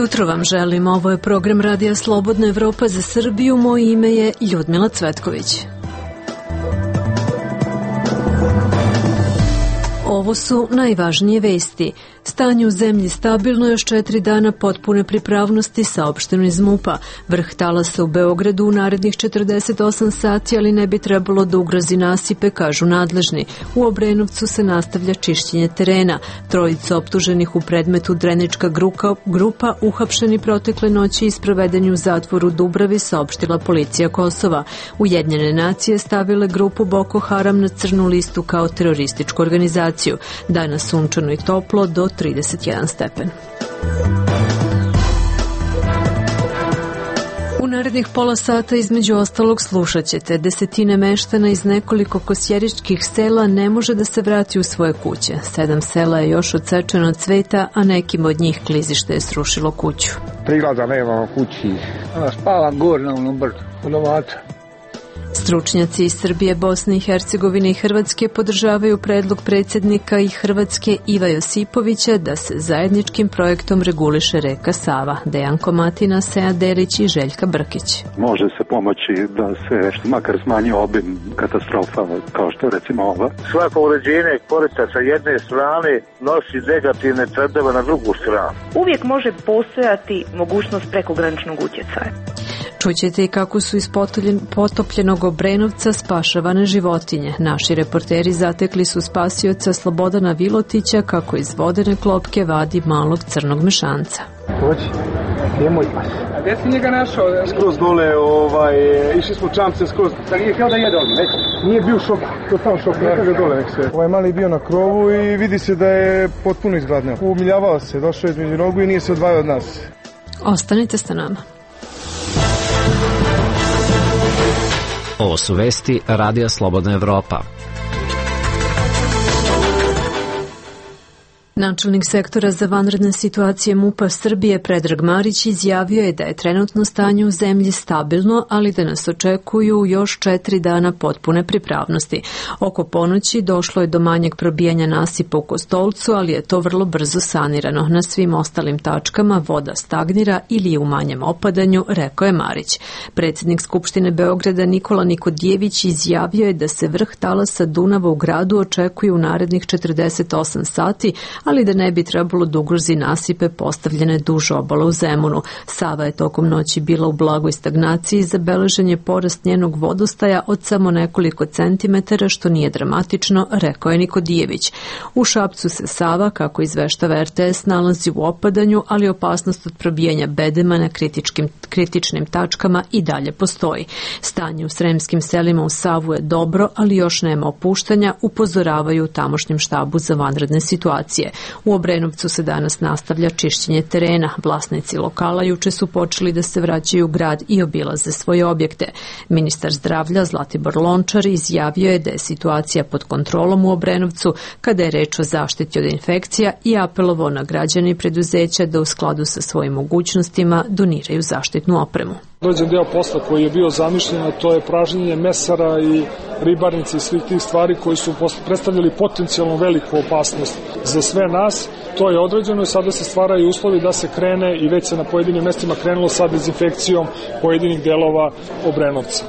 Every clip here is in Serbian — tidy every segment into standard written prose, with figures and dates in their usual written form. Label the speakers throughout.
Speaker 1: jutro vam želim. Ovo je program Radija Slobodna Evropa za Srbiju. Moje ime je Ljudmila Cvetković. Ovo su najvažnije vesti. Stanje u zemlji stabilno, još 4 dana potpune pripravnosti, saopšteno iz MUP-a. Vrh talasa u Beogradu u narednih 48 sati, ali ne bi trebalo da ugrozi nasipe, kažu nadležni. U Obrenovcu se nastavlja čišćenje terena. Trojica optuženih u predmetu Drenička grupa uhapšeni protekle noći i sprovedeni u zatvoru Dubravi, saopštila policija Kosova. Ujedinjene nacije stavile grupu Boko Haram na crnu listu kao terorističku organizaciju. Danas sunčano i toplo do 31 stepen. U narednih pola sata između ostalog slušat ćete: desetine meštana iz nekoliko kosjeričkih sela ne može da se vrati u svoje kuće. 7 sela je još odsečeno od cveta, a nekim od njih klizište je srušilo kuću.
Speaker 2: Prilaza nema kući. Spavam gore na onom brdu, od ovaca.
Speaker 1: Stručnjaci iz Srbije, Bosne i Hercegovine i Hrvatske podržavaju predlog predsjednika i Hrvatske Iva Josipovića da se zajedničkim projektom reguliše reka Sava. Dejan Komatina, Seja Derić i Željka Brkić.
Speaker 3: Može se pomoći da se makar smanji obim katastrofa kao što je recimo ova.
Speaker 4: Svako uređenje korita sa jedne strane nosi negativne trendove na drugu stranu.
Speaker 5: Uvijek može postojati mogućnost prekograničnog utjecaja.
Speaker 1: Čućete i kako su iz potopljenog Obrenovca spašavane životinje. Naši reporteri zatekli su spasioca Slobodana Vilotića kako iz vodene klopke vadi malog crnog mešanca.
Speaker 2: Dođi, gdje je moj pas?
Speaker 6: A gdje si njega našao?
Speaker 2: Skroz dole, išli smo čamce skroz.
Speaker 6: Da nije htio da jede ovdje, neko?
Speaker 2: Nije bio šok, to sam šok, neka ga dole nek se. Ovaj mali je bio na krovu i vidi se da je potpuno izgladneo. Umiljavao se, došao je između nogu i nije se odvajao od nas.
Speaker 1: Ostanite sa nama.
Speaker 7: Ovo su vesti Radija Slobodna Evropa.
Speaker 1: Načelnik sektora za vanredne situacije MUP-a Srbije Predrag Marić izjavio je da je trenutno stanje u zemlji stabilno, ali da nas očekuju još 4 dana potpune pripravnosti. Oko ponoći došlo je do manjeg probijanja nasipa u Kostolcu, ali je to vrlo brzo sanirano. Na svim ostalim tačkama voda stagnira ili je u manjem opadanju, rekao je Marić. Predsjednik Skupštine Beograda Nikola Nikodijević izjavio je da se vrh talasa Dunava u gradu očekuje u narednih 48 sati, ali da ne bi trebalo da ugrozi nasipe postavljene duž obala u Zemunu. Sava je tokom noći bila u blagoj stagnaciji, zabeležen je porast njenog vodostaja od samo nekoliko centimetara, što nije dramatično, rekao je Nikodijević. U Šapcu se Sava, kako izveštava RTS, nalazi u opadanju, ali opasnost od probijanja bedema na kritičnim tačkama i dalje postoji. Stanje u sremskim selima u Savu je dobro, ali još nema opuštanja, upozoravaju u tamošnjem štabu za vanredne situacije. U Obrenovcu se danas nastavlja čišćenje terena. Vlasnici lokala juče su počeli da se vraćaju u grad i obilaze svoje objekte. Ministar zdravlja Zlatibor Lončar izjavio je da je situacija pod kontrolom u Obrenovcu kada je reč o zaštiti od infekcija i apelovao na građane i preduzeća da u skladu sa svojim mogućnostima doniraju zaštitnu opremu.
Speaker 6: Dođen deo posla koji je bio zamišljen, a to je pražnjenje mesara i ribarnice i svih tih stvari koji su predstavljali potencijalno veliku opasnost za sve nas. To je određeno i sada se stvaraju uslovi da se krene i već se na pojedinim mestima krenulo sa dezinfekcijom pojedinih delova Obrenovca.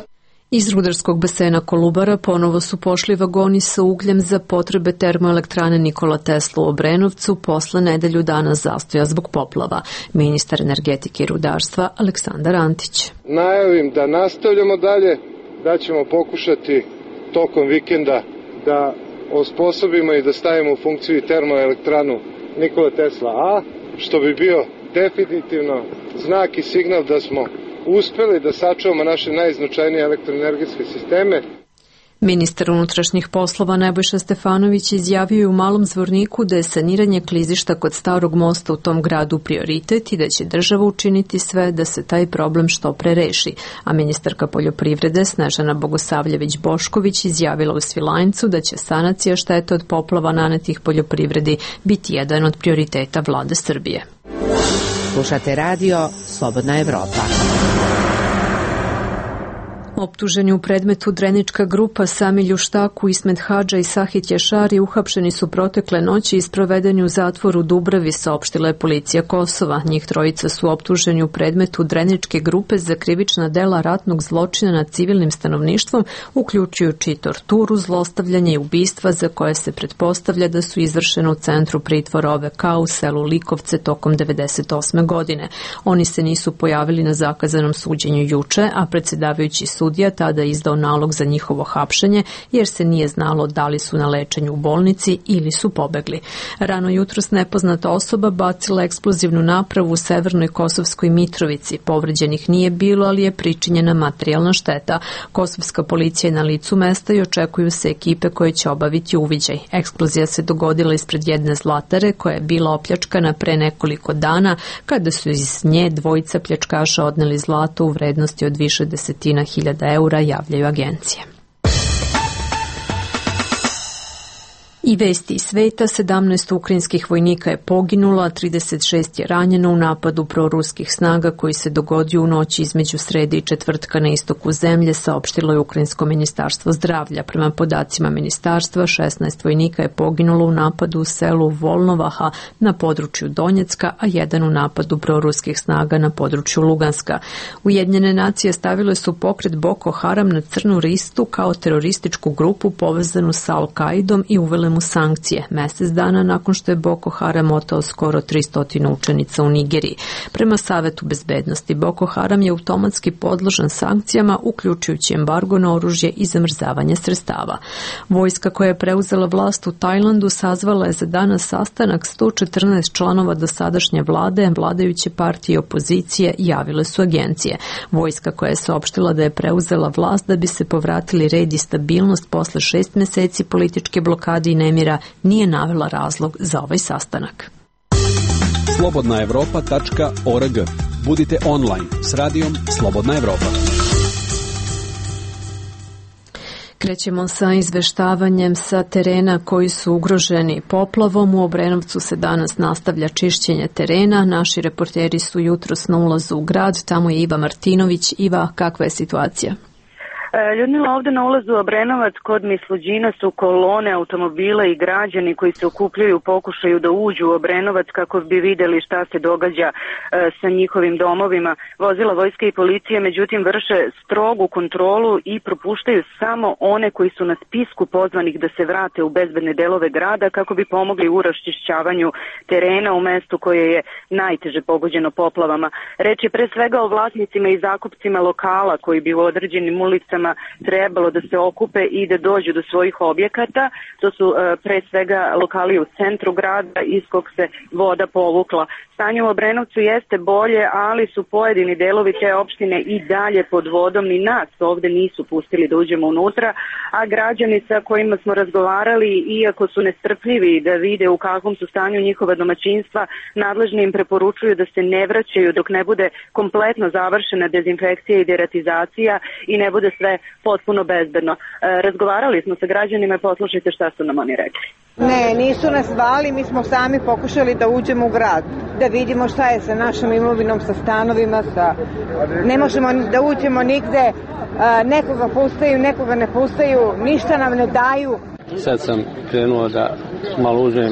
Speaker 1: Iz rudarskog basena Kolubara ponovo su pošli vagoni sa ugljem za potrebe termoelektrane Nikola Tesla u Obrenovcu posle nedelju dana zastoja zbog poplava. Ministar energetike i rudarstva Aleksandar Antić.
Speaker 8: Najavim da nastavljamo dalje, da ćemo pokušati tokom vikenda da osposobimo i da stavimo u funkciju termoelektranu Nikola Tesla A, što bi bio definitivno znak i signal da smo uspeli da sačuvamo naše najznačajnije elektroenergetske sisteme.
Speaker 1: Ministar unutrašnjih poslova Nebojša Stefanović izjavio je u Malom Zvorniku da je saniranje klizišta kod Starog mosta u tom gradu prioritet i da će država učiniti sve da se taj problem što pre reši. A ministarka poljoprivrede Snežana Bogosavljević-Bošković izjavila u Svilajncu da će sanacija štete od poplava nanetih poljoprivredi biti jedan od prioriteta vlade Srbije.
Speaker 9: Slušate radio Slobodna Evropa.
Speaker 1: Optuženi u predmetu Drenička grupa Sami Ljuštaku, Ismet Hadža i Sahit Jašari uhapšeni su protekle noći i sprovedeni u zatvoru Dubravi, saopštila je policija Kosova. Njih trojica su optuženi u predmetu Dreničke grupe za krivična dela ratnog zločina nad civilnim stanovništvom, uključujući torturu, zlostavljanje i ubistva za koje se pretpostavlja da su izvršene u centru pritvora OVK u selu Likovce tokom 1998. godine. Oni se nisu pojavili na zakazanom suđenju juče, a predsjedavajući sudija tada izdao nalog za njihovo hapšenje jer se nije znalo da li su na lečenju u bolnici ili su pobegli. Rano jutros nepoznata osoba bacila eksplozivnu napravu u severnoj Kosovskoj Mitrovici. Povređenih nije bilo, ali je pričinjena materijalna šteta. Kosovska policija je na licu mesta i očekuju se ekipe koje će obaviti uviđaj. Eksplozija se dogodila ispred jedne zlatare koja je bila opljačkana pre nekoliko dana kada su iz nje dvojica pljačkaša odneli zlato u vrednosti od više desetina hiljada eura, javljaju agencije. I vesti iz sveta, 17 ukrajinskih vojnika je poginulo, a 36 je ranjeno u napadu proruskih snaga koji se dogodio u noći između srede i četvrtka na istoku zemlje, saopštilo je Ukrajinsko ministarstvo zdravlja. Prema podacima ministarstva, 16 vojnika je poginulo u napadu u selu Volnovaha na području Donjecka, a jedan u napadu proruskih snaga na području Luganska. Ujedinjene nacije stavile su pokret Boko Haram na crnu listu kao terorističku grupu povezanu sa Al-Kaidom i uvele mu sankcije, mjesec dana nakon što je Boko Haram oteo skoro 300 učenica u Nigeriji. Prema Savetu bezbednosti, Boko Haram je automatski podložan sankcijama, uključujući embargo na oružje i zamrzavanje sredstava. Vojska koja je preuzela vlast u Tajlandu sazvala je za danas sastanak 114 članova dosadašnje vlade, vladajuće partije i opozicije, javile su agencije. Vojska koja je saopštila da je preuzela vlast da bi se povratili red i stabilnost posle 6 mjeseci političke blokade i nemira, nije navela razlog za ovaj sastanak.
Speaker 9: Slobodnaevropa.org. Budite online s radijom Slobodna Evropa.
Speaker 1: Krećemo sa izveštavanjem sa terena koji su ugroženi poplavom. U Obrenovcu se danas nastavlja čišćenje terena. Naši reporteri su jutros na ulazu u grad. Tamo je Iva Martinović. Iva, kakva je situacija?
Speaker 5: Ljudmila, ovdje na ulazu u Obrenovac kod Misluđina su kolone automobila i građani koji se okupljaju u pokušaju da uđu u Obrenovac kako bi vidjeli šta se događa sa njihovim domovima. Vozila vojske i policije međutim vrše strogu kontrolu i propuštaju samo one koji su na spisku pozvanih da se vrate u bezbedne delove grada kako bi pomogli u raščišćavanju terena u mestu koje je najteže pogođeno poplavama. Reč je pre svega o vlasnicima i zakupcima lokala koji bi u određenim ulicama trebalo da se okupe i da dođu do svojih objekata. To su pre svega lokali u centru grada iz kog se voda povukla. Stanje u Obrenovcu jeste bolje, ali su pojedini delovi te opštine i dalje pod vodom. Ni nas ovde nisu pustili da uđemo unutra, a građani sa kojima smo razgovarali, iako su nestrpljivi da vide u kakvom su stanju njihova domaćinstva, nadležni im preporučuju da se ne vraćaju dok ne bude kompletno završena dezinfekcija i deratizacija i ne bude sve potpuno bezbedno. Razgovarali smo sa građanima i poslušajte šta su nam oni rekli.
Speaker 10: Ne, nisu nas zvali, mi smo sami pokušali da uđemo u grad, da vidimo šta je sa našom imovinom, sa stanovima, ne možemo da uđemo nigde, nekoga pustaju, nekoga ne pustaju, ništa nam ne daju.
Speaker 11: Sad sam krenuo da malo uđem,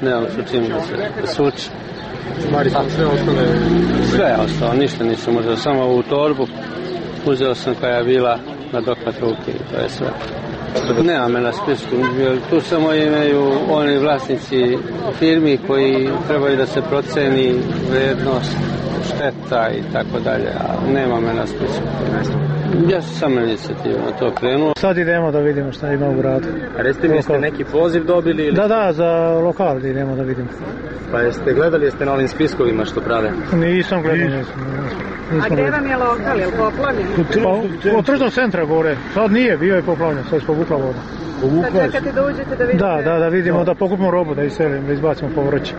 Speaker 11: nemam što čim da se suči.
Speaker 2: Stvari sam sve ostale?
Speaker 11: Sve je ostalo, ništa nisam uzeo, samo ovu torbu uzeo sam koja je bila na dohvat ruke i to je sve. Nema me na spisku, tu samo imaju oni vlasnici firmi koji trebaju da se proceni vrednost šteta i tako dalje, a nema me na spisku. Ja sam samo inicijativno to krenuo.
Speaker 12: Sad idemo da vidimo šta ima u gradu.
Speaker 13: A recite mi, jeste neki poziv dobili? Ili?
Speaker 12: Da, za lokal da idemo da vidimo.
Speaker 13: Pa jeste gledali, jeste na ovim spiskovima što prave?
Speaker 12: Nisam gledao.
Speaker 10: A gde vam je lokal, je li poplavljen?
Speaker 12: Od tržnog centra gore, sad nije, bio je poplavljen, sad je povukla voda.
Speaker 10: Sad čekate da uđete da vidite?
Speaker 12: Da vidimo, da pokupimo robu, da iselimo, da izbacimo povrće.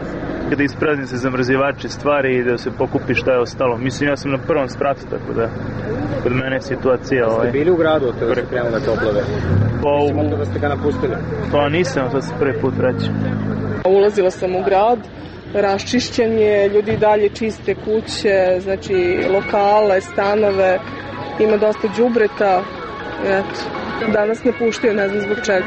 Speaker 14: Kada isprazni se zamrzivači stvari i da se pokupi šta je ostalo. Mislim, ja sam na prvom spratu, tako da kod mene je situacija...
Speaker 13: Ste bili u gradu od toga se krenule toplove? Mislim onda da ste ga napustili?
Speaker 14: Pa nisam, to se prvi put vraćam.
Speaker 15: Ulazila sam u grad, raščišćen je, ljudi dalje čiste kuće, znači lokale, stanove, ima dosta đubreta. Eto, danas ne puštaju, ne znam zbog čega.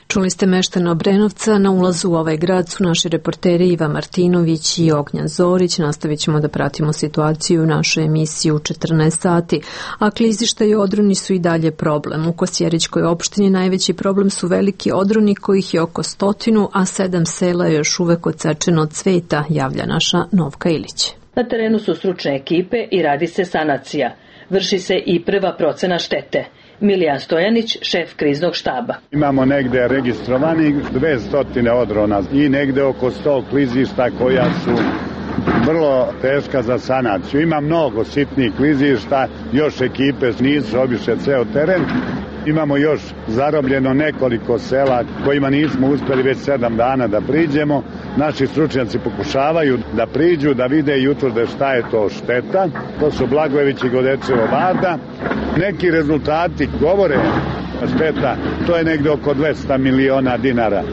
Speaker 1: Čuli ste meštana Obrenovca. Na ulazu u ovaj grad su naši reporteri Iva Martinović i Ognjan Zorić. Nastavit ćemo da pratimo situaciju u našoj emisiji u 14 sati. A klizišta i odroni su i dalje problem. U Kosjerićkoj opštini najveći problem su veliki odroni kojih je oko 100, a 7 sela je još uvek odsečeno od cveta, javlja naša Novka Ilić.
Speaker 16: Na terenu su stručne ekipe i radi se sanacija. Vrši se i prva procena štete. Milijan Stojanić, šef kriznog štaba.
Speaker 17: Imamo negde registrovanih 200 odrona i negde oko 100 klizišta koja su vrlo teška za sanaciju. Ima mnogo sitnih klizišta, još ekipe nisu obišle ceo teren. Imamo još zarobljeno nekoliko sela kojima nismo uspeli već 7 dana da priđemo. Naši stručnjaci pokušavaju da priđu, da vide i utvrde šta je to šteta. To su Blagojević i Godečevo Varda. Neki rezultati govore šteta, to je negde oko 200 miliona dinara.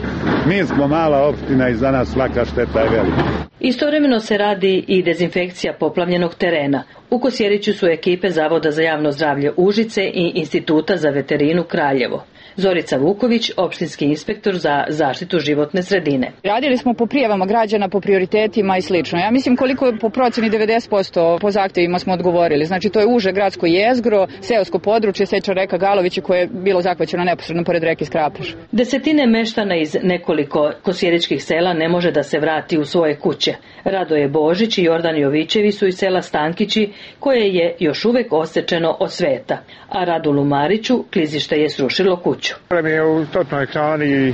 Speaker 17: Mi smo mala opština i za nas svaka šteta je velika.
Speaker 16: Istovremeno se radi i dezinfekcija poplavljenog terena. U Kosjeriću su ekipe Zavoda za javno zdravlje Užice i Instituta za veterinu Kraljevo. Zorica Vuković, opštinski inspektor za zaštitu životne sredine.
Speaker 18: Radili smo po prijavama građana, po prioritetima i slično. Ja mislim koliko po proceni 90% po zahtevima smo odgovorili. Znači to je uže gradsko jezgro, seosko područje, seča reka Galovići koje je bilo zahvaćeno neposredno pored reke Skrapež.
Speaker 16: Desetine meštana iz nekoliko kosjeričkih sela ne može da se vrati u svoje kuće. Radoje Božić i Jordan Jovićevi su iz sela Stankići koje je još uvek osečeno od sveta, a Radulu Mariću klizište je srušilo kuću.
Speaker 19: Mi je u točnoj ekrani,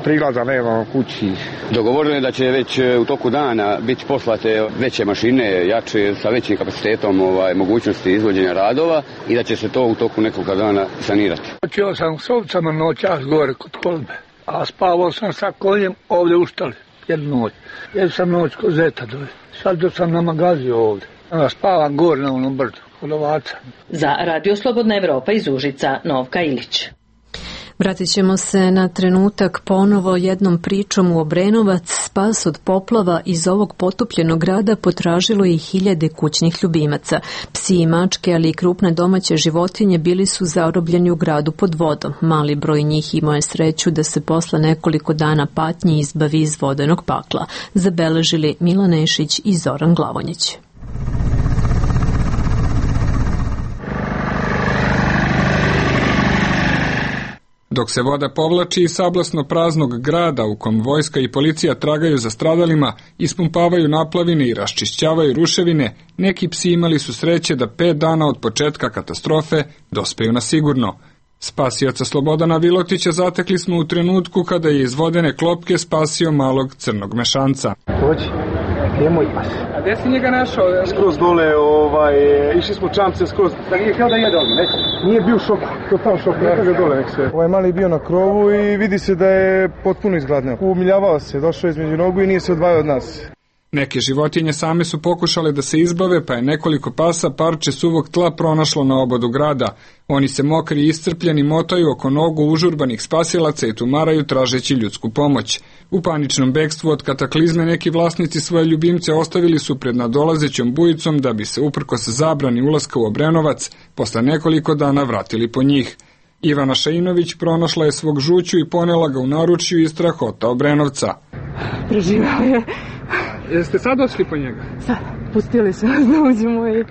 Speaker 19: priglaza nema kući.
Speaker 20: Dogovoreno je da će već u toku dana biti poslate veće mašine, jače, sa većim kapacitetom mogućnosti izvođenja radova i da će se to u toku nekog dana sanirati.
Speaker 19: Počeo sam s ovcama noćas gore kod kolbe, a spavao sam sa konjem ovdje u štali jednu noć. Jednu sam noć kod zeta dole. Sad dok sam na magaziju ovdje. Onda spavam gore na onom brdu, kod ovaca.
Speaker 16: Za Radio Slobodna Evropa iz Užica, Novka Ilić.
Speaker 1: Vratit ćemo se na trenutak ponovo jednom pričom u Obrenovac. Spas od poplava iz ovog potopljenog grada potražilo i hiljade kućnih ljubimaca. Psi i mačke, ali i krupne domaće životinje bili su zarobljeni u gradu pod vodom. Mali broj njih imao je sreću da se posle nekoliko dana patnji izbavi iz vodenog pakla. Zabeležili Milan Nešić i Zoran Glavonjić.
Speaker 21: Dok se voda povlači iz sablasno praznog grada u kom vojska i policija tragaju za stradalima, ispumpavaju naplavine i raščišćavaju ruševine, neki psi imali su sreće da 5 dana od početka katastrofe dospeju na sigurno. Spasioca Slobodana Vilotića zatekli smo u trenutku kada je iz vodene klopke spasio malog crnog mešanca.
Speaker 2: Dođi, gdje je moj pas?
Speaker 12: A gdje si njega našao?
Speaker 2: Skroz dole, išli smo čamce skroz.
Speaker 12: Da nije htio da jede odmah, neko?
Speaker 2: Nije bio šok, totalno šok, neka ga dole, nek se. Ovaj mali je bio na krovu i vidi se da je potpuno izgladneo. Umiljavao se, došao između nogu i nije se odvajao od nas.
Speaker 21: Neke životinje same su pokušale da se izbave, pa je nekoliko pasa parče suvog tla pronašlo na obodu grada. Oni se mokri i iscrpljeni motaju oko nogu užurbanih spasilaca i tumaraju tražeći ljudsku pomoć. U paničnom bekstvu od kataklizme neki vlasnici svoje ljubimce ostavili su pred nadolazećom bujicom da bi se uprkos zabrani ulaska u Obrenovac posle nekoliko dana vratili po njih. Ivana Šainović pronašla je svog žuću i ponela ga u naručju iz strahota Obrenovca.
Speaker 15: Preživao je.
Speaker 12: Jeste sad došli po njega?
Speaker 15: Sad, pustili su nas da uđemo i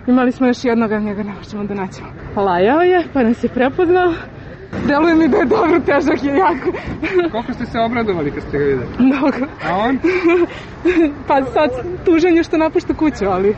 Speaker 15: imali smo još jednoga, njega ne možemo da naćemo. Lajao je, pa nas je prepoznao. Deluje mi da je dobro, težak je jako.
Speaker 12: Koliko ste se obradovali kad ste ga videli?
Speaker 15: Mnogo.
Speaker 12: A on?
Speaker 15: Pa sad tužan je što napušta kuću, ali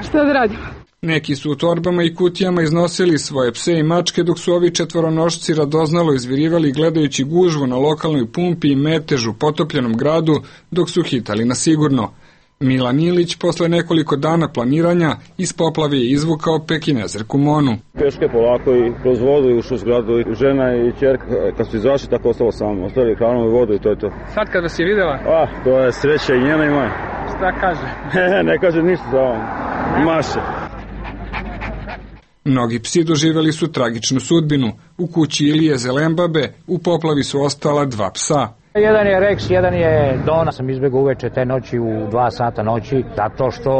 Speaker 15: šta da radimo?
Speaker 21: Neki su u torbama i kutijama iznosili svoje pse i mačke, dok su ovi četvoronošci radoznalo izvirivali gledajući gužvu na lokalnoj pumpi i metež u potopljenom gradu, dok su hitali na sigurno. Milan Ilić posle nekoliko dana planiranja iz poplave je izvukao pekinezerku Monu.
Speaker 22: Peške polako i kroz vodu i ušao u zgradu. Žena i ćerka kad su izašli tako ostalo samo. Ostali hranom i vodu i to je to.
Speaker 12: Sad kad vas je videla?
Speaker 22: To je sreća i njena i moja.
Speaker 12: Šta kaže?
Speaker 22: Ne kaže ništa za ovom. Maše.
Speaker 21: Mnogi psi doživjeli su tragičnu sudbinu. U kući Ilije Zelembabe u poplavi su ostala 2 psa.
Speaker 3: Jedan je Rex, jedan je Dona. Sam izbegao uveče te noći u 2 sata noći, zato što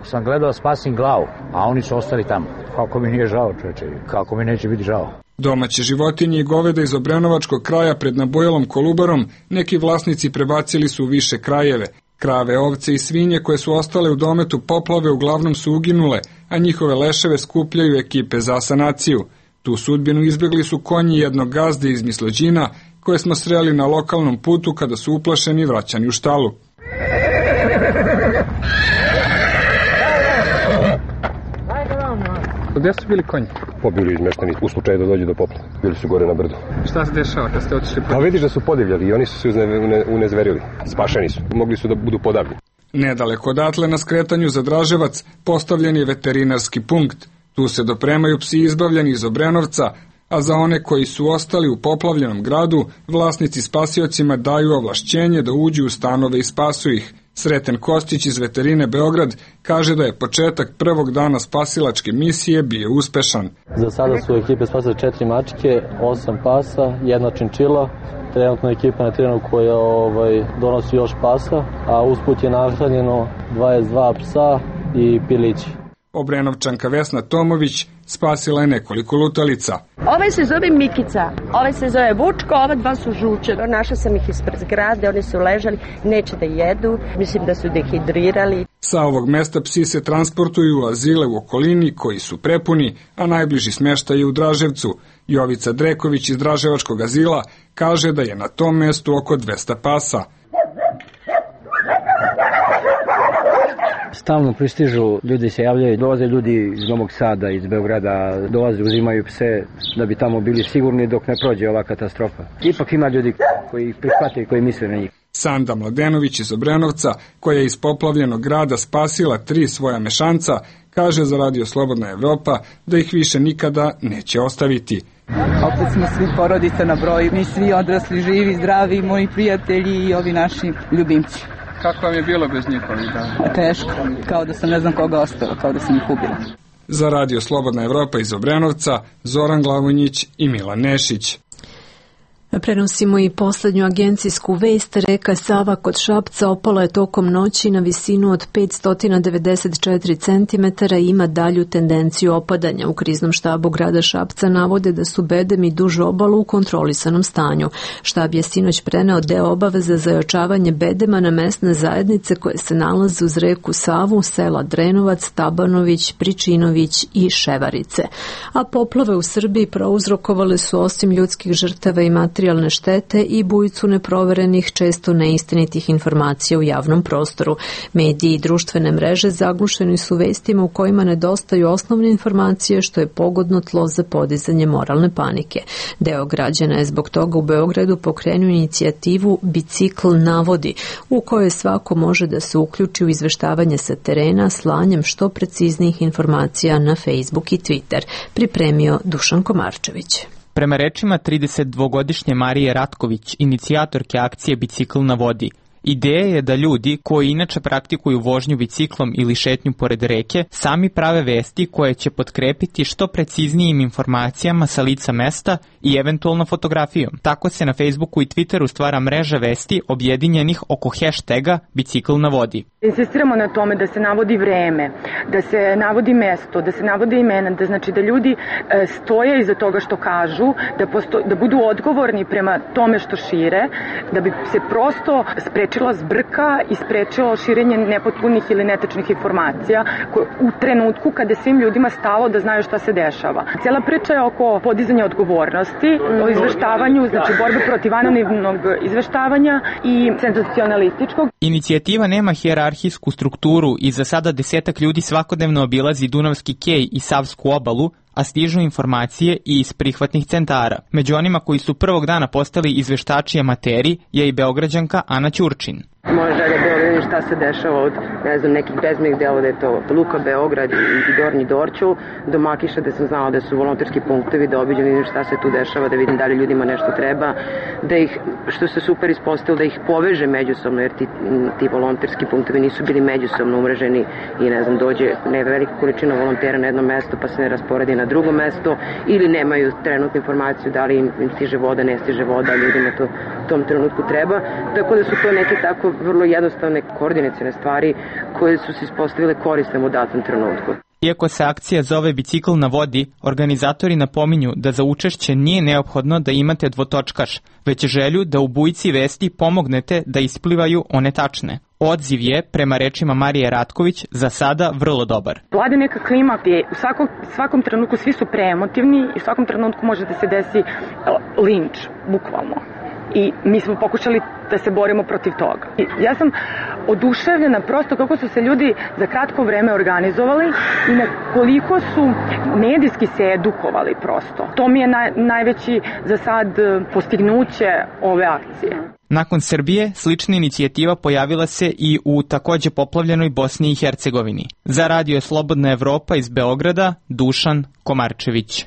Speaker 3: sam gledao da spasim glavu, a oni su ostali tamo. Kako mi nije žao, čoveče, kako mi neće biti žao.
Speaker 21: Domaće životinje i goveda iz Obrenovačkog kraja pred Nabojelom Kolubarom neki vlasnici prebacili su u više krajeve. Krave, ovce i svinje koje su ostale u dometu poplave uglavnom su uginule, a njihove leševe skupljaju ekipe za sanaciju. Tu sudbinu izbjegli su konji jednog gazde iz Mislođina, koje smo sreli na lokalnom putu kada su uplašeni vraćani u štalu.
Speaker 4: Gde su bili konji? Pobili izmešteni u slučaju da dođe do poplave. Bili su gore na brdu.
Speaker 21: Šta se dešava kad ste otišli?
Speaker 4: Pa vidiš da su podivljali i oni su se unezverili. Spašeni su. Mogli su da budu podavljeni.
Speaker 21: Nedaleko odatle na skretanju za Draževac postavljen je veterinarski punkt. Tu se dopremaju psi izbavljeni iz Obrenovca, a za one koji su ostali u poplavljenom gradu, vlasnici spasiocima daju ovlašćenje da uđu u stanove i spasu ih. Sreten Kostić iz Veterine Beograd kaže da je početak prvog dana spasilačke misije bio uspešan.
Speaker 23: Za sada su ekipe spasile 4 mačke, 8 pasa, 1 činčila. Trenutno ekipa na terenu koja donosi još pasa, a usput je nahranjeno 22 psa i pilići.
Speaker 21: Obrenovčanka Vesna Tomović spasila je nekoliko lutalica.
Speaker 24: Ovaj se zove Mikica, ovaj se zove Vučko, ova 2 su žuče. Našla sam ih ispred zgrade, oni su ležali, neće da jedu, mislim da su dehidrirali.
Speaker 21: Sa ovog mesta psi se transportuju u azile u okolini koji su prepuni, a najbliži smještaj je u Draževcu. Jovica Dreković iz Draževačkog azila kaže da je na tom mestu oko 200 pasa.
Speaker 3: Stalno pristižu, ljudi se javljaju, dolaze ljudi iz Novog Sada, iz Beograda, dolaze, uzimaju pse da bi tamo bili sigurni dok ne prođe ova katastrofa. Ipak ima ljudi koji ih prihvate i koji misle na njih.
Speaker 21: Sanda Mladenović iz Obrenovca, koja je iz poplavljenog grada spasila 3 svoja mešanca, kaže za Radio Slobodna Evropa da ih više nikada neće ostaviti.
Speaker 25: Opet smo svi porodica na broju, mi svi odrasli, živi, zdravi, moji prijatelji i ovi naši ljubimci.
Speaker 21: Kako vam je bilo bez njihovih dana?
Speaker 25: Teško, kao da sam ne znam koga ostalo, kao da sam ih ubila.
Speaker 21: Za Radio Slobodna Evropa iz Obrenovca, Zoran Glavonjić i Milan Nešić.
Speaker 1: Prenosimo i poslednju agencijsku vest. Reka Sava kod Šapca opala je tokom noći na visinu od 594 cm i ima dalju tendenciju opadanja. U kriznom štabu grada Šapca navode da su bedem i duž obalu u kontrolisanom stanju. Štab je sinoć preneo deo obaveza za ojačavanje bedema na mesne zajednice koje se nalaze uz reku Savu, sela Drenovac, Tabanović, Pričinović i Ševarice. A poplave u Srbiji prouzrokovale su osim ljudskih žrtava i materijalne štete i bujicu neproverenih, često neistinitih informacija u javnom prostoru. Mediji i društvene mreže zaglušeni su vestima u kojima nedostaju osnovne informacije, što je pogodno tlo za podizanje moralne panike. Deo građana je zbog toga u Beogradu pokrenuo inicijativu Bicikl navodi, u kojoj svako može da se uključi u izveštavanje sa terena slanjem što preciznijih informacija na Facebook i Twitter, pripremio Dušan Komarčević.
Speaker 26: Prema rečima 32-godišnje Marije Ratković, inicijatorke akcije Bicikl na vodi, ideja je da ljudi koji inače praktikuju vožnju biciklom ili šetnju pored reke sami prave vesti koje će potkrepiti što preciznijim informacijama sa lica mesta i eventualno fotografijom. Tako se na Facebooku i Twitteru stvara mreža vesti objedinjenih oko hashtaga Bicikl na vodi.
Speaker 27: Insistiramo na tome da se navodi vreme, da se navodi mesto, da se navode imena, da znači da ljudi stoje iza toga što kažu, da budu odgovorni prema tome što šire, da bi se prosto sprečila zbrka i sprečilo širenje nepotpunih ili netačnih informacija u trenutku kada je svim ljudima stalo da znaju šta se dešava. Cijela priča je oko podizanja odgovornosti, o izveštavanju, znači borbe protiv anonimnog izveštavanja i senzacionalističkog.
Speaker 26: Inicijativa nema hijerarhijsku strukturu i za sada 10-ak ljudi svakodnevno obilazi Dunavski kej i Savsku obalu, a stižu informacije i iz prihvatnih centara. Među onima koji su prvog dana postali izveštači amateri je i Beograđanka Ana Ćurčin.
Speaker 28: Moja želja je bila
Speaker 27: šta se dešava od, ne znam, nekih bezmnih dela, da je to Luka, Beograd i Gornji Dorćol, do Makiša, da sam znala da su volonterski punktovi, da obiđem, vidim šta se tu dešava, da vidim da li ljudima nešto treba, da ih, što se super ispostavilo, da ih poveže međusobno, jer ti volonterski punktovi nisu bili međusobno umreženi i ne znam, dođe velika količina volontera na jedno mesto pa se ne rasporedi na drugo mesto ili nemaju trenutnu informaciju da li im stiže voda, ne stiže voda, ljudima to u tom trenutku treba. Tako da su to neke tako vrlo jednostavne koordinacione stvari koje su se ispostavile korisne u datom trenutku.
Speaker 26: Iako se akcija zove Bicikl na vodi, organizatori napominju da za učešće nije neophodno da imate dvotočkaš, već želju da u bujici vesti pomognete da isplivaju one tačne. Odziv je, prema rečima Marije Ratković, za sada vrlo dobar.
Speaker 27: Vlada neka klima gdje u svakom trenutku svi su preemotivni i u svakom trenutku može da se desi linč, bukvalno. I mi smo pokušali da se borimo protiv toga. I ja sam oduševljena prosto kako su se ljudi za kratko vreme organizovali i na koliko su medijski se edukovali prosto. To mi je najveći za sad postignuće ove akcije.
Speaker 26: Nakon Srbije, slična inicijativa pojavila se i u takođe poplavljenoj Bosni i Hercegovini. Za Radio Slobodna Evropa iz Beograda, Dušan Komarčević.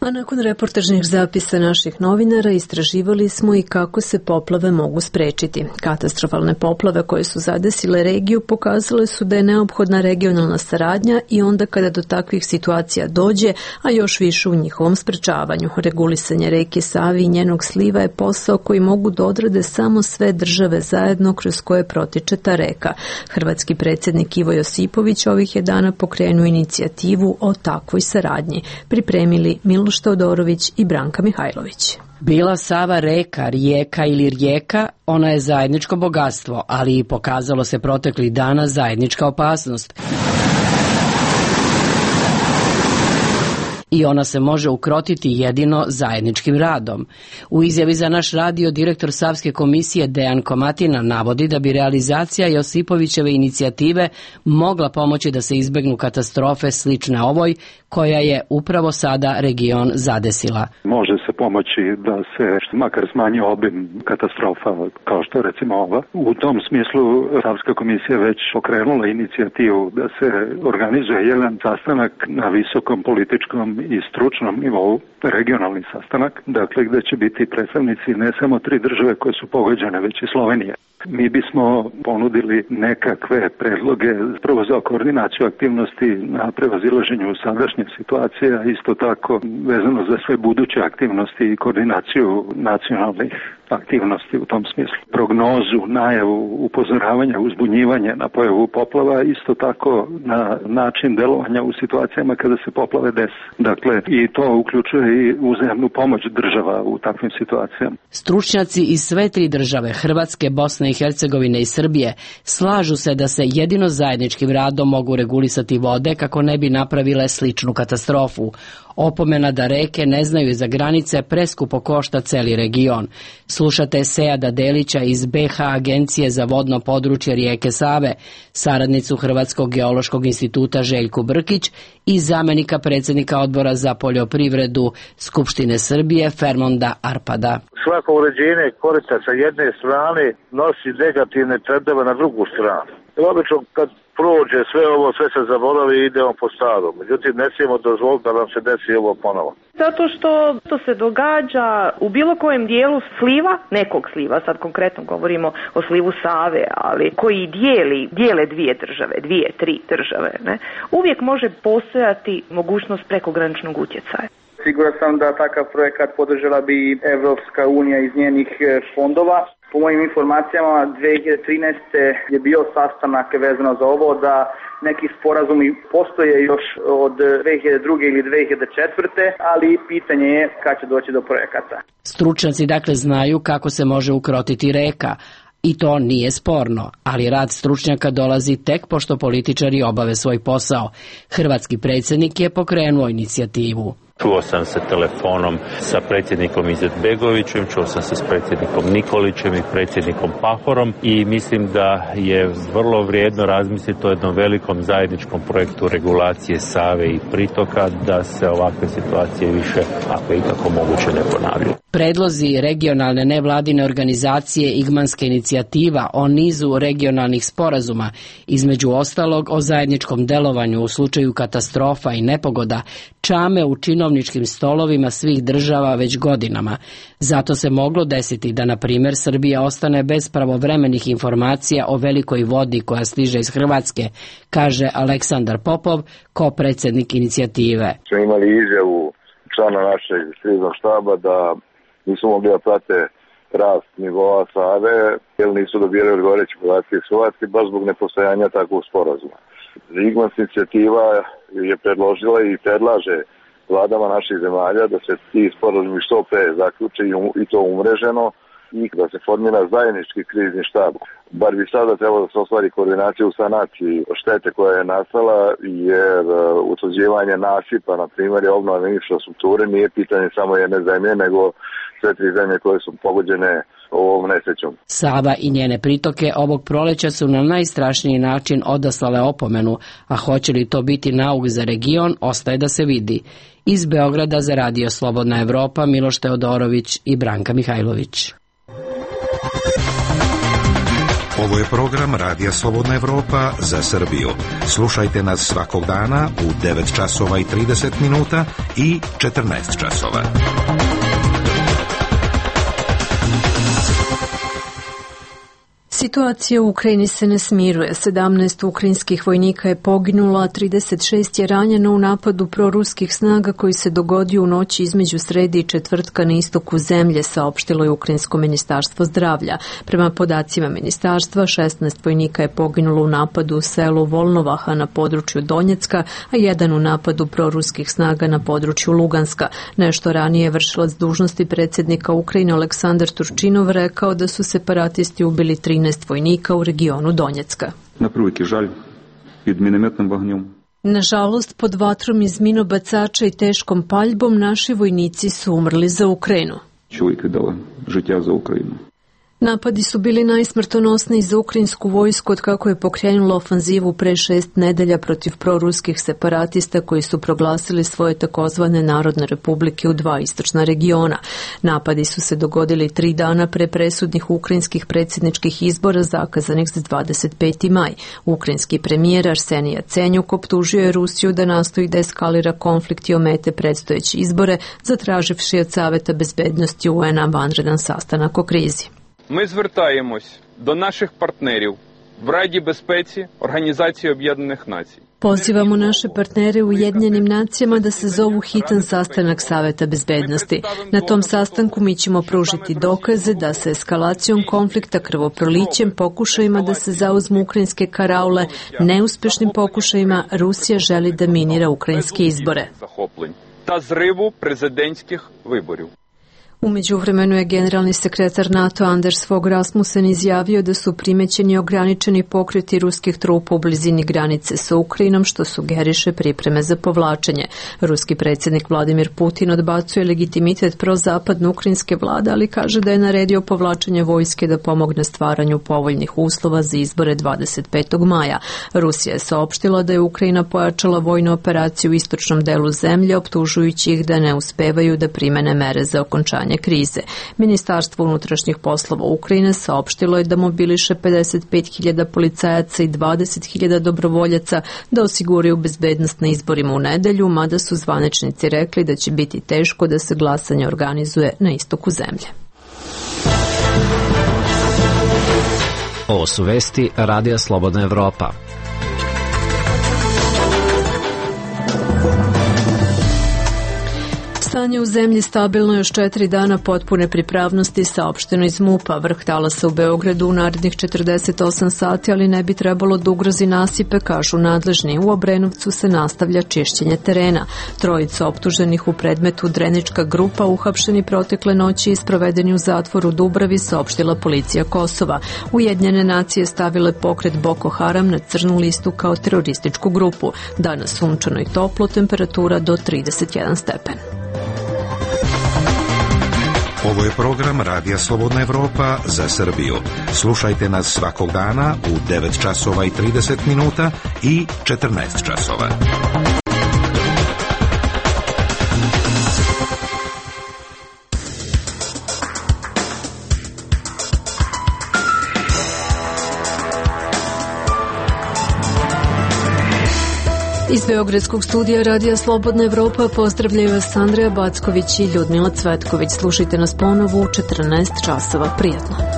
Speaker 1: A nakon reportažnih zapisa naših novinara istraživali smo i kako se poplave mogu sprečiti. Katastrofalne poplave koje su zadesile regiju pokazale su da je neophodna regionalna saradnja i onda kada do takvih situacija dođe, a još više u njihovom sprečavanju. Regulisanje reke Save i njenog sliva je posao koji mogu da odrade samo sve države zajedno kroz koje protiče ta reka. Hrvatski predsjednik Ivo Josipović ovih je dana pokrenuo inicijativu o takvoj saradnji. Pripremili Miloš Teodorović i Branka Mihajlović.
Speaker 5: Bila Sava reka, rijeka ili rijeka, ona je zajedničko bogatstvo, ali i pokazalo se proteklih dana zajednička opasnost. I ona se može ukrotiti jedino zajedničkim radom. U izjavi za naš radio direktor Savske komisije Dejan Komatina navodi da bi realizacija Josipovićeve inicijative mogla pomoći da se izbegnu katastrofe slične ovoj, koja je upravo sada region zadesila.
Speaker 6: Može se pomoći da se makar smanji obim katastrofa kao što je recimo ova. U tom smislu Savska komisija već pokrenula inicijativu da se organizuje jedan sastanak na visokom političkom i stručnom nivou, regionalni sastanak, dakle gde će biti predstavnici ne samo 3 države koje su pogođene, već i Slovenija. Mi bismo ponudili nekakve predloge prvo za koordinaciju aktivnosti na prevazilaženju sadašnje situacije, a isto tako vezano za sve buduće aktivnosti i koordinaciju nacionalnih aktivnosti u tom smislu. Prognozu, najavu, upozoravanja, uzbunjivanje na pojavu poplava, isto tako na način delovanja u situacijama kada se poplave dese. Dakle, i to uključuje i uzajamnu pomoć država u takvim situacijama.
Speaker 5: Stručnjaci iz sve 3 države, Hrvatske, Bosne i Hercegovine i Srbije, slažu se da se jedino zajedničkim radom mogu regulisati vode kako ne bi napravile sličnu katastrofu. Opomena da reke ne znaju za granice preskupo košta celi region. Slušate Seada Delića iz BH Agencije za vodno područje rijeke Save, saradnicu Hrvatskog geološkog instituta Željku Brkić i zamenika predsjednika odbora za poljoprivredu Skupštine Srbije Fermonda Arpada.
Speaker 7: Svako uređenje korita sa jedne strane nosi negativne trendove na drugu stranu. Obično kad prođe sve ovo, sve se zaboravi i idemo po starom. Međutim, ne smijemo dozvoliti da nam se desi ovo ponovo.
Speaker 8: Zato što to se događa u bilo kojem dijelu sliva, nekog sliva, sad konkretno govorimo o slivu Save, ali koji dijele 2 države, 2-3 države, ne? Uvijek može postojati mogućnost prekograničnog utjecaja.
Speaker 9: Siguran sam da takav projekat podržala bi Evropska unija iz njenih fondova. Po mojim informacijama 2013. je bio sastanak vezano za ovo, da neki sporazumi postoje još od 2002. ili 2004. ali pitanje je kad će doći do projekata.
Speaker 5: Stručnjaci dakle znaju kako se može ukrotiti reka. I to nije sporno, ali rad stručnjaka dolazi tek pošto političari obave svoj posao. Hrvatski predsjednik je pokrenuo inicijativu.
Speaker 10: Čuo sam se telefonom sa predsjednikom Izetbegovićem, čuo sam se s predsjednikom Nikolićem i predsjednikom Pahorom i mislim da je vrlo vrijedno razmisliti o jednom velikom zajedničkom projektu regulacije Save i pritoka da se ovakve situacije više, ako je ikako moguće, ne ponavljaju.
Speaker 5: Predlozi regionalne nevladine organizacije Igmanska inicijativa o nizu regionalnih sporazuma, između ostalog o zajedničkom delovanju u slučaju katastrofa i nepogoda, čame u činovničkim stolovima svih država već godinama. Zato se moglo desiti da, na primjer, Srbija ostane bez pravovremenih informacija o velikoj vodi koja stiže iz Hrvatske, kaže Aleksandar Popov, ko-predsjednik inicijative.
Speaker 7: Smo imali izjavu člana našeg kriznog štaba da nisu mogli da prate rast nivoa Save, jer nisu dobili odgovarajuće podatke iz Hrvatske, baš zbog nepostojanja takvog sporazuma. Igmanska inicijativa je predložila i predlaže vladama naših zemalja da se ti sporazumi što pre zaključe i to umreženo i da se formira zajednički krizni štab. Bar bi sada trebalo da se ostvari koordinacija u sanaciji štete koja je nastala, jer utvrđivanje nasipa, na primjer, i obnova infrastrukture nije pitanje samo jedne zemlje, nego sve tri zemlje koje su pogođene ovom nesrećom.
Speaker 5: Sava i njene pritoke ovog proleća su na najstrašniji način odaslale opomenu, a hoće li to biti nauk za region, ostaje da se vidi. Iz Beograda za Radio Slobodna Evropa, Miloš Teodorović i Branka Mihajlović.
Speaker 11: Ovo je program Radija Slobodna Evropa za Srbiju. Slušajte nas svakog dana u 9 časova i 30 minuta i 14 časova.
Speaker 1: Situacija u Ukrajini se ne smiruje. 17 ukrajinskih vojnika je poginulo, a 36 je ranjeno u napadu proruskih snaga koji se dogodio u noći između srede i četvrtka na istoku zemlje, saopštilo je Ukrajinsko ministarstvo zdravlja. Prema podacima ministarstva, 16 vojnika je poginulo u napadu u selu Volnovaha na području Donjecka, a jedan u napadu proruskih snaga na području Luganska. Nešto ranije vršilac dužnosti predsjednika Ukrajine Aleksandar Turčinov rekao da su separatisti ubili 13 vojnika u regionu Donjecka. Nažalost, pod vatrom iz minobacača i teškom paljbom naši vojnici su umrli za Ukrajinu. Napadi su bili najsmrtonosniji za ukrajinsku vojsku od kako je pokrenula ofanzivu pre 6 nedelja protiv proruskih separatista koji su proglasili svoje takozvane narodne republike u 2 istočna regiona. Napadi su se dogodili 3 dana pre presudnih ukrajinskih predsjedničkih izbora zakazanih za 25. maj. Ukrajinski premijer Arsenij Jacenjuk optužio je Rusiju da nastoji da eskalira konflikt i omete predstojeće izbore, zatraživši od Saveta bezbednosti UN-a vanredan sastanak o krizi.
Speaker 13: Ми звертаємось до наших партнерів в Раді безпеці Організації Об'єднаних Націй.
Speaker 1: Pozivamo naše partnere u Ujedinjenim nacijama da se zovu hitan sastanak Saveta bezbednosti. Na tom sastanku mi ćemo pružiti dokaze da se eskalacijom konflikta, krvoprolićem, pokušajima da se zauzmu ukrajinske karaule, neuspešnim pokušajima Rusija želi da minira ukrajinske izbore.
Speaker 13: Та зриву президентських виборів.
Speaker 1: U međuvremenu je generalni sekretar NATO Anders Fogh Rasmussen izjavio da su primećeni ograničeni pokreti ruskih trupa u blizini granice sa Ukrajinom, što sugeriše pripreme za povlačenje. Ruski predsjednik Vladimir Putin odbacuje legitimitet prozapadne ukrajinske vlade, ali kaže da je naredio povlačenje vojske da pomogne stvaranju povoljnih uslova za izbore 25. maja. Rusija je saopštila da je Ukrajina pojačala vojnu operaciju u istočnom delu zemlje, optužujući ih da ne uspevaju da primene mere za okončanje krize. Ministarstvo unutrašnjih poslova Ukrajine saopštilo je da mobiliše 55.000 policajaca i 20.000 dobrovoljaca da osiguraju bezbednost na izborima u nedelju, mada su zvaničnici rekli da će biti teško da se glasanje organizuje na istoku zemlje.
Speaker 14: Ovo su vesti Radija Slobodna Evropa.
Speaker 1: Stanje u zemlji stabilno još 4 dana potpune pripravnosti, saopšteno iz MUP-a. Vrh talasa u Beogradu u narednih 48 sati, ali ne bi trebalo da ugrozi nasipe, kažu nadležni. U Obrenovcu se nastavlja čišćenje terena. Trojica optuženih u predmetu Drenička grupa uhapšeni protekle noći i sprovedeni u zatvoru Dubravi, saopštila policija Kosova. Ujedinjene nacije stavile pokret Boko Haram na crnu listu kao terorističku grupu. Danas sunčano i toplo, temperatura do 31 stepen.
Speaker 11: Ovo je program Radija Slobodna Evropa za Srbiju. Slušajte nas svakog dana u 9 časova i 30 minuta i 14 časova.
Speaker 1: Iz Beogradskog studija Radija Slobodna Evropa pozdravljaju vas Andreja Backović i Ljudmila Cvetković. Slušajte nas ponovo u 14 časova. Prijatno.